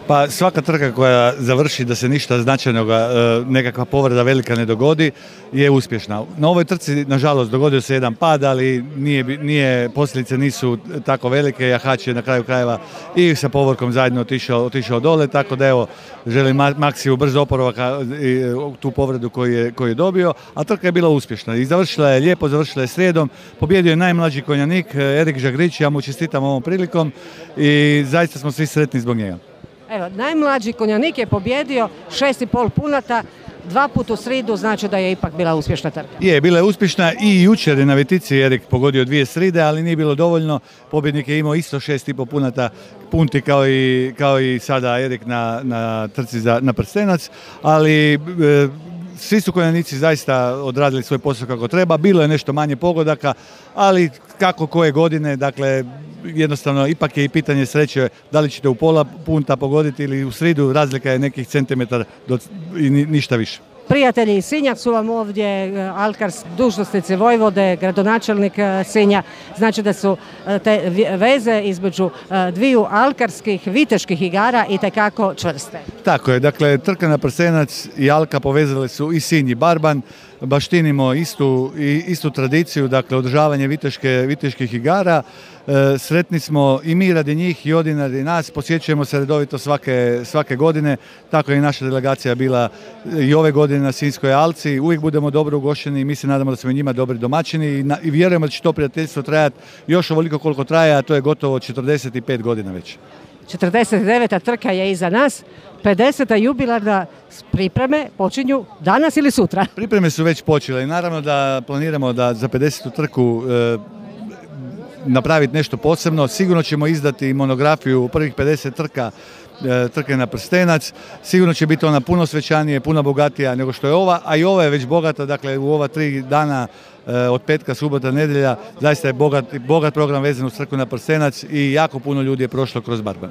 Pa svaka trka koja završi da se ništa značajnoga, nekakva povreda velika ne dogodi, je uspješna. Na ovoj trci, nažalost, dogodio se jedan pad, ali posljedice nisu tako velike. Jahač je na kraju krajeva i sa povorkom zajedno otišao dole, tako da evo, želim Maksiju brzo oporavak tu povredu koju je dobio, a trka je bila uspješna i završila je lijepo, završila je srijedom, pobjedio je najmlađi konjanik Erik Žagrić, ja mu čestitam ovom prilikom i zaista smo svi sretni zbog njega. Evo, najmlađi konjanik je pobjedio 6,5 punata, 2 puta u sridu, znači da je ipak bila uspješna trka. Je, bila je uspješna i jučer je na Vetici Erik pogodio 2 sride, ali nije bilo dovoljno. Pobjednik je imao isto 6,5 punata punti kao i sada Erik na trci na prstenac, ali svi su konjanici zaista odradili svoj posao kako treba. Bilo je nešto manje pogodaka, ali kako koje godine, dakle, jednostavno ipak je i pitanje sreće da li ćete u pola punta pogoditi ili u sridu, razlika je nekih centimetara i ništa više. Prijatelji iz Sinja su vam ovdje, dužnosnici Vojvode, gradonačelnik Sinja, znači da su te veze između dviju alkarskih viteških igara itekako čvrste. Tako je, dakle trka na prstenac i Alka povezale su i Sinj i Barban, baštinimo istu tradiciju, dakle održavanje viteških igara. Sretni smo i mi radi njih i oni radi nas, posjećujemo se redovito svake godine, tako je i naša delegacija bila i ove godine na Sinjskoj alci, uvijek budemo dobro ugošćeni i mi se nadamo da smo i njima dobri domaćini i vjerujemo da će to prijateljstvo trajati još ovoliko koliko traje, a to je gotovo 45 godina već. 49. trka je iza nas, 50. jubilarna pripreme počinju danas ili sutra? Pripreme su već počele i naravno da planiramo da za 50. trku napraviti nešto posebno. Sigurno ćemo izdati monografiju u prvih 50 trke na prstenac. Sigurno će biti ona puno svečanije, puno bogatija nego što je ova, a i ova je već bogata, dakle u ova 3 dana od petka, subota, nedjelja, zaista je bogat program vezan uz trku na prstenac i jako puno ljudi je prošlo kroz Barban.